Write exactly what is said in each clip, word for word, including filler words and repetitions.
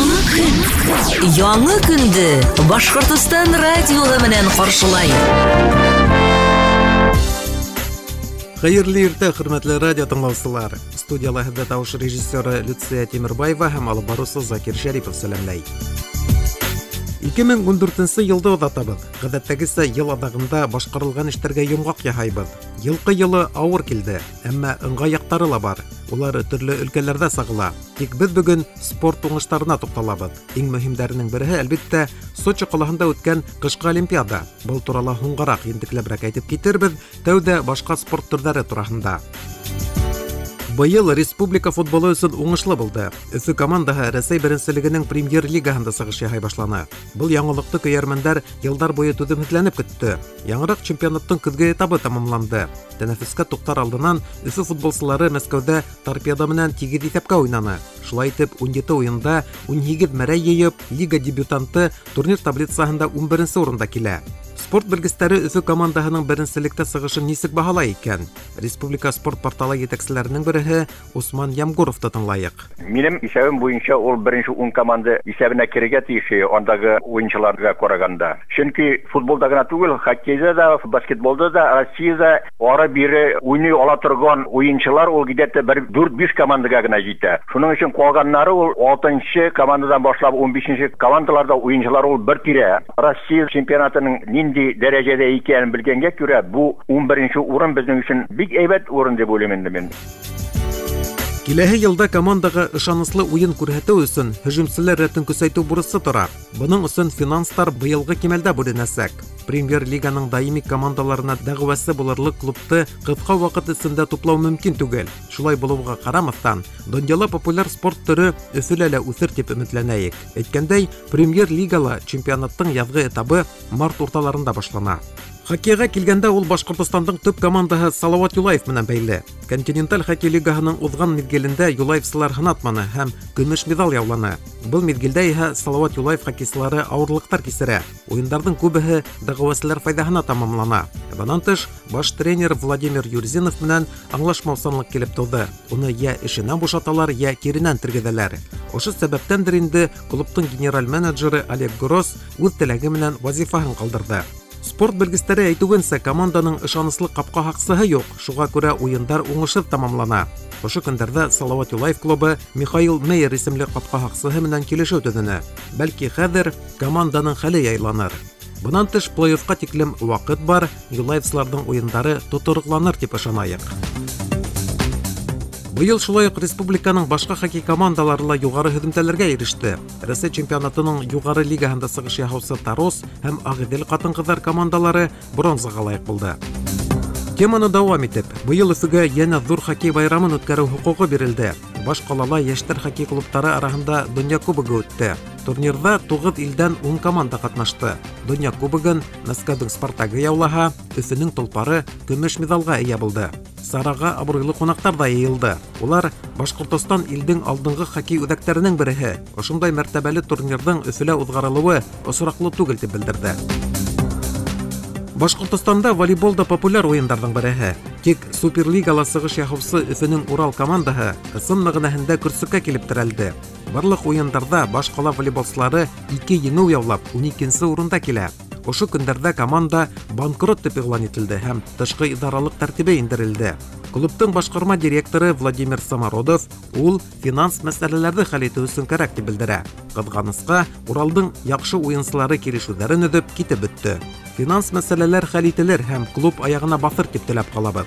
Яңы көн. Яңы көндө Башҡортостан радиоһы менән ҡаршылай. Хәйерле иртә, хөрмәтле радио тыңлаусылар. Студияла һеҙҙе тауыш режиссеры Люция Тимербаева һәм алып барыусы Закир Шәрипов сәләмләй. ике мең ун дүртенсе йылды оҙатабыҙ. Ғәҙәттәгесә йыл аҙағында башҡарылған эштәргә йомғаҡ яһайбыҙ. Йылҡы йылы ауыр килде, әммә ыңғай яҡтары ла бар. Улар төрлө өлкәләрҙә сағыла. Тик беҙ бөгөн спорт уңыштарына туҡталабыҙ. Иң мөһимдәренең береһе, әлбиттә, Сочи ҡалаһында үткән ҡышҡы олимпиада. Был турала һуңғараҡ ентекләберәк әйтеп китербеҙ, тәүҙә башҡа спорт төрҙәре тураһында. Быйыл республика футболы өсөн уңышлы булды. Өфө командаһы Рәсәй беренселегенең премьер-лигаһында сығыш яһай башланы. Был яңылыҡты көйәрмәндәр йылдар буйы түҙемһеҙләнеп көттө. Яңыраҡ чемпионаттың көҙгө этабы тамамланды. Тәнәфескә туҡтар алдынан Өфө футболсылары Мәскәүҙә Торпедо менән тигеҙ иҫәпкә уйнаны. Шулай итеп, ун ете уйында ун һигеҙ мәрәй йыйып, лига дебютанты турнир таблицаһында ун беренсе урында килә. Спорт белгестәре Өфө командаһының беренселектә сығышын нисек баһалай икән? Республика спорт порталы етәкселәренең береһе Усман Ямгуровты тыңлайыҡ. Минең иҫәбем буйынса ул беренсе ун команда иҫәбенә керергә тейеш андағы уйынсыларға ҡарағанда. Сөнки футболда ғына түгел, хоккейҙа да, баскетболда да, Россияда ары-бире уйный ала торған уйынсылар ул где-то бер дүрт-биш командаға ғына етә. Шуның өсөн ҡалғаннары ул алтынсы командадан башлап ун бишенсе командаларда уйынсылар ул бер тирә. Россия чемпионатының нинди дәрәҗәдә икәнен белгәнгә күрә, бу ун беренсе урын безнең өчен бик әйбәт урын дип уйлыйм инде мин. Киләһе йылда командаға ышаныслы уйын күрһәтеү өсөн һөжүмселәр рәтен көсәйтеү бурысы тора. Бының өсөн финанстар быйылғы кимәлдә бүленәсәк. Премьер-лиганың даими командаларына дәғүәсе булырлыҡ клубты ҡыҫҡа ваҡыт эсендә туплау мөмкин түгел. Шулай булыуға ҡарамаҫтан, донъяла популяр спорт төрө Өфөлә лә үҫер тип өмөтләнәйек. Әйткәндәй, премьер-лигала чемпионаттың яҙғы этабы март урталарында башлана. Хоккейға килгәндә ул Башҡортостандың төп командаһы Салауат Юлаев менән бәйле. Континенталь хоккей лигаһының уҙған миҙгелендә юлаевсылар һынатманы һәм көмөш миҙал яуланы. Был миҙгелдә иһә Салауат Юлаев хоккейсылары ауырлыҡтар кисерә. Уйындарҙың күбеһе дәғүәселәр файҙаһына тамамлана. Бынан тыш, баш тренер Владимир Юрзинов менән аңлашмаусанлыҡ килеп тыуҙы. Уны йә эшенән бушаталар, йә киренән тергеҙәләр. Ошо сәбәптәндер инде клубтың генераль менеджеры Олег Гросс үҙ теләге менән вазифаһын ҡалдырҙы. Спорт белгестәре әйтеүенсә, команданың ышаныслы ҡапҡа һаҡсыһы юҡ, шуға күрә уйындар уңышһыҙ тамамлана. Ошо көндәрҙә Салауат Юлаев клубы Михаил Мейер исемле ҡапҡа һаҡсыһы менән килешеү төҙөнө. Бәлки хәҙер команданың хәле яйланыр. Бынан тыш плей-оффҡа тиклем ваҡыт бар, юлаевсыларҙың уйындары тотороҡланыр тип ышанайыҡ. Быйыл шулай уҡ республиканың башҡа хоккей командалары ла юғары һөҙөмтәләргә иреште. Рәсәй чемпионатының юғары лигаһында сығыш яһаусы Тарос һәм Ағиҙел ҡатын-ҡыҙҙар командалары бронзаға лайыҡ булды. Теманы дауам итеп, быйыл Өфөгә йәнә ҙур хоккей байрамын үткәреү хоҡуғы бирелде. Баш ҡалала йәштәр хоккей клубтары араһында Донъя кубогы үтте. Турнирҙа туғыҙ илдән ун команда ҡатнашты. Донъя кубогын Мәскәүҙең Спартагы яулаһа, Өфөнөң Толпары көмөш миҙалға эйә булды. Сараға абруйлы ҡунаҡтар ҙа йыйылды. Улар Башҡортостан илдең алдынғы хоккей үҙәктәренең береһе. Ошондай мәртәбәле турнирҙың Өфөлә уҙғарылыуы осраҡлы түгел тип белдерҙе. Башҡортостанда волейбол да популяр уйындарҙың береһе. Тик Суперлигала сығыш яһаусы Өфөнөң Урал командаһы ысын мәғәнәһендә көрсөккә килеп терәлде. Барлыҡ уйындарҙа баш ҡала волейболсылары ике еңеү яулап ун икенсе урында килә. Ошо көндәрҙә команда банкрот тип иғлан ителде һәм тышҡы идаралыҡ тәртибе индерелде. Клубтың башҡарма директоры Владимир Самородов ул финанс мәсьәләләрҙе хәл итеү өсөн кәрәк тип белдерә. Ҡыҙғанысҡа, Уралдың яҡшы уйынсылары килешеүҙәрен өҙөп китеп бөттө. Финанс мәсьәләләр хәл ителер һәм клуб аяғына баҫыр тип теләп ҡалабыҙ.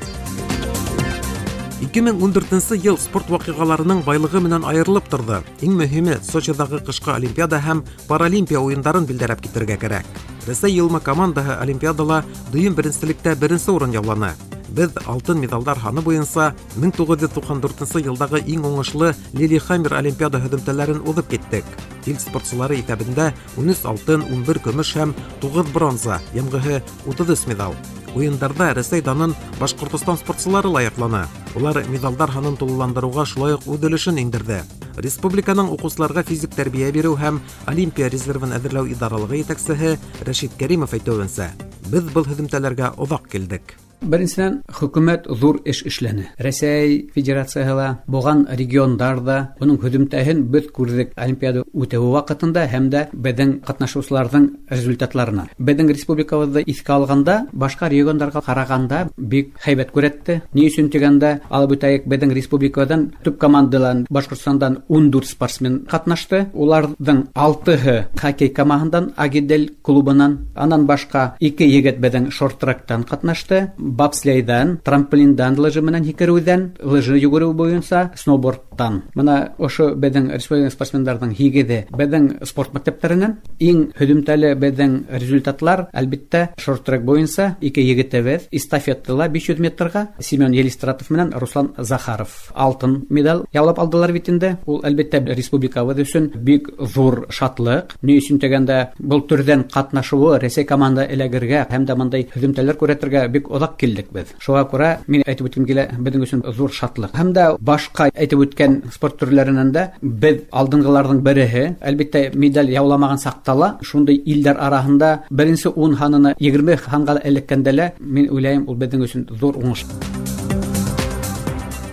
ике мең ун дүртенсе йыл спорт ваҡиғаларының байлығы менән айырылып торҙо. Иң мөһиме Сочиҙағы ҡышҡы олимпиада һәм паралимпия уйындарын билдәләп китергә кәрәк. Рәсәй йылма командаһы олимпиадала дөйөм беренселектә беренсе урын яуланы. Беҙ алтын миҙалдар һаны буйынса мең туғыҙ йөҙ туҡһан дүртенсе йылдағы иң уңышлы Лилихаммер олимпиада һөҙөмтәләрен уҙып киттек. Ил спортсылары иҫәбендә ун өс алтын, ун бер көмөш һәм туғыҙ бронза, йәмғеһе утыҙ өс миҙал. Уйындарҙа Рәсәй данын Башҡортостан спортсылары лаяҡланы. Улар миҙалдар һанын тулыландырыуға шулай уҡ үҙ өлөшөн индерҙе. Республиканың уҡыусыларға физик тәрбиә биреү һәм Олимпия резервын әҙерләү идаралығы етәксеһе Рәшит Кәримов әйтеүенсә, беҙ был һөҙөмтәләргә оҙаҡ килдек. Беренсенән, хөкүмәт ҙур эш эшләне. Рәсәй Федерацияһы ла, булған региондар ҙа уның һөҙөмтәһен беҙ күрҙек Олимпиада үтеүе ваҡытында һәм дә беҙҙең ҡатнашыусыларҙың результатларына. Беҙҙең республикабыҙҙы иҫкә алғанда, башҡа региондарға ҡарағанда бик һәйбәт күрһәтте. Ни өсөн тигәндә, алып үтәйек, беҙҙең республикадан төп командалан Башҡортостандан ун дүрт спортсмен ҡатнашты. Уларҙың алтыһы хоккей командаһынан, Агидель клубынан, анан башҡа ике егет беҙҙең шорт-тректан ҡатнашты. Бобслейҙан, трамплиндан, лыжы менән һикереүҙән, лыжы йүгереү буйынса, сноубордтан. Бына ошо беҙҙең республика спортсмендарҙың һигеҙе беҙҙең спорт мәктәптәренән. Иң һөҙөмтәле беҙҙең результатлар, әлбиттә, шорт-трек буйынса ике егетебеҙ эстафетала биш йөҙ метрға Семен Елистратов менән Руслан Захаров алтын медаль яулап алдылар бит инде. Ул әлбиттә республикабыҙ өсөн бик ҙур шатлыҡ. Ни өсөн тигәндә, был төрҙән ҡатнашыуы Рәсәй команда эләгергә һәм дә бындай һөҙөмтәләр күрһәтергә бик оҙаҡ килдек беҙ. Шуға күрә мин әйтеп үткем килә, беҙҙең өсөн ҙур шатлыҡ. Һәм дә башҡа әйтеп үткән спорт төрләренән дә беҙ алдынғыларҙың береһе. Әлбиттә, медаль яуламаған саҡта ла шундай илдәр араһында беренсе ун һанына егерме һанға эләккәндә лә, мин уйлайым, ул беҙҙең өсөн ҙур уңыш.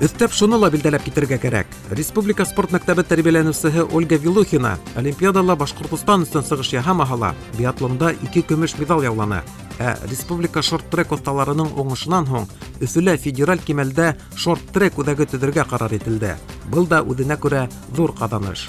Өҫтәп шуны ла билдәләп китергә кәрәк. Республика спорт мәктәбе тәрбиәләнеүсеһе Ольга Вилухина Олимпиадала Башҡортостан өсөн сығыш яһамаһа ла, биатлонда ике көмөш медаль яуланы. Ә республика шорт-трек оҫталарының уңышынан һуң Өфөлә федераль кимәлдә шорт-трек үҙәге төҙөргә ҡарар ителде. Был да үҙенә күрә ҙур ҡаҙаныш.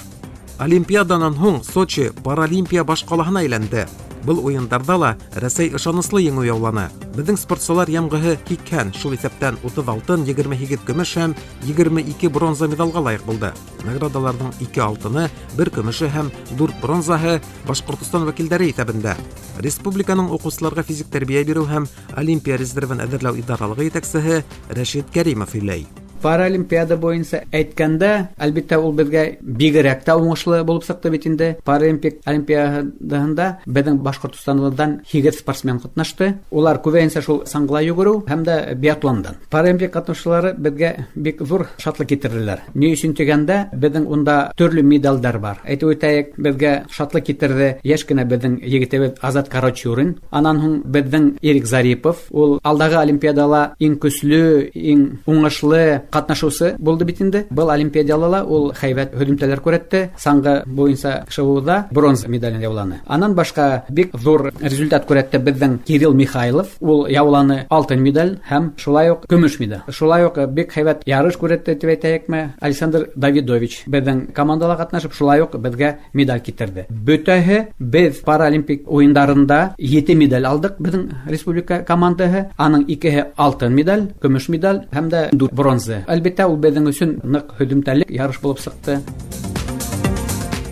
Олимпиаданан һуң Сочи паралимпия баш ҡалаһына әйләнде. Был уйындарҙа ла Рәсәй ышаныслы еңеү яуланы. Беҙҙең спортсылар йәмғеһе һикһән, шул иҫәптән утыҙ алтын, егерме һигеҙ көмөш һәм егерме ике бронза медалға лайыҡ булды. Наградаларҙың ике алтыны, бер көмөшө һәм дүрт бронзаһы Башҡортостан вәкилдәре иҫәбендә. Республиканың уҡыусыларға физик тәрбиә биреү һәм Олимпия резервын әҙерләү идаралығы етәксеһе Рәшит Кәримов һөйләй. Паралимпиада буйынса әйткәндә, әлбиттә, ул беҙгә бигерәк тә уңышлы булып сыҡты бит инде. Паралимпик олимпиадаһында беҙҙең Башҡортостандан һигеҙ спортсмен ҡатнашты. Улар күбәйенсә шул саңғыла йүгереү һәм дә биатлондан. Паралимпик ҡатнашыусылары беҙгә бик ҙур шатлыҡ китерҙеләр. Ни өсөн тигәндә, беҙҙең унда төрлө медалдар бар. Әйтеп үтәйек, беҙгә шатлыҡ китерҙе йәш кенә беҙҙең егетебеҙ Азат Карачурин. Анан һуң беҙҙең Ирек Зарипов. Ул алдағы олимпиадала иң көслө, иң уңышлы ҡатнашыусы булды бит инде. Был олимпиадала ла ул һәйбәт һөҙөмтәләр күрһәтте. Саңғы буйынса шыуыуҙа бронза медален яуланы. Анан башҡа бик ҙур результат күрһәтте беҙҙең Кирилл Михайлов. Ул яуланы алтын медаль һәм шулай уҡ көмөш медаль. Шулай уҡ бик һәйбәт ярыш күрһәтте тип әйтәйекме, Александр Давидович беҙҙең командала ҡатнашып, шулай уҡ беҙгә медаль китерҙе. Бөтәһе беҙ паралимпик уйындарында ете медаль алдыҡ беҙҙең республика командаһы. Аның икеһе алтын медаль, көмөш медаль һәм дә дүрт бронза. Әлбиттә, ул беҙҙең өсөн ныҡ һөҙөмтәле ярыш булып сыҡты.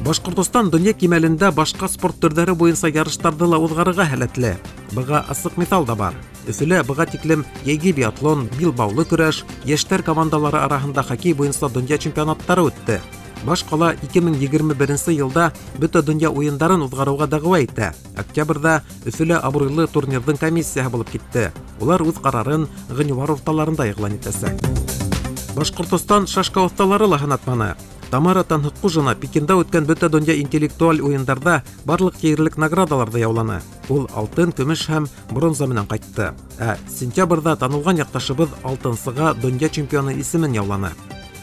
Башҡортостан донъя кимәлендә башҡа спорт төрҙәре буйынса ярыштарҙы ла уҙғарырға һәләтле. Быға асыҡ миҫал да бар. Өфөлә быға тиклем йәйге биатлон, билбаулы көрәш, йәштәр командалары араһында хоккей буйынса донъя чемпионаттары үтте. Баш ҡала ике мең егерме беренсе йылда бөтә донъя уйындарын уҙғарыуға дәғүә итә. Октябрҙә Өфөлә абруйлы турнирҙың комиссияһы булып китте. Улар үҙ ҡарарын ғинуар урталарында иғлан итәсәк. Башҡортостан шашка оҫталары ла һынатманы. Тамара Танһыҡҡужина Пекинда үткән бөтә донъя интеллектуаль уйындарҙа барлыҡ ерлек наградаларҙы яуланы. Ул алтын, көмөш һәм бронза менән ҡайтты. Ә сентябрҙә танылған яҡташыбыҙ алтынсыға донъя чемпионы исемен яуланы.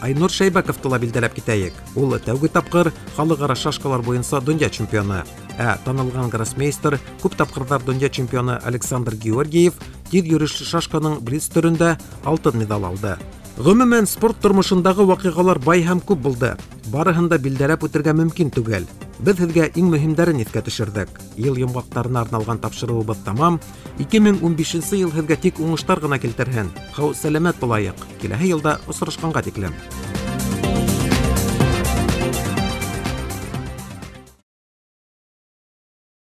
Айнур Шәйбәковты ла билдәләп китәйек. Ул тәүге тапҡыр халыҡ-ара шашкалар буйынса донъя чемпионы. Ә танылған гроссмейстер, күп тапҡырҙар донъя чемпионы Александр Георгиев тиҙ йөрөшлө шашканың блиц төрөндә алтын медаль алды. Ғөмүмән, спорт тормошондағы ваҡиғалар бай һәм күп булды. Барыһын да билдәләп үтергә мөмкин түгел. Беҙ һеҙгә иң мөһимдәрен иҫкә төшөрҙөк. Йыл йомғаҡтарына арналған тапшырыуыбыҙ тамам. ике мең ун бишенсе йыл һеҙгә тик уңыштар ғына килтерһен. Һау сәләмәт булайыҡ. Киләһе йылда осрашҡанға тиклем.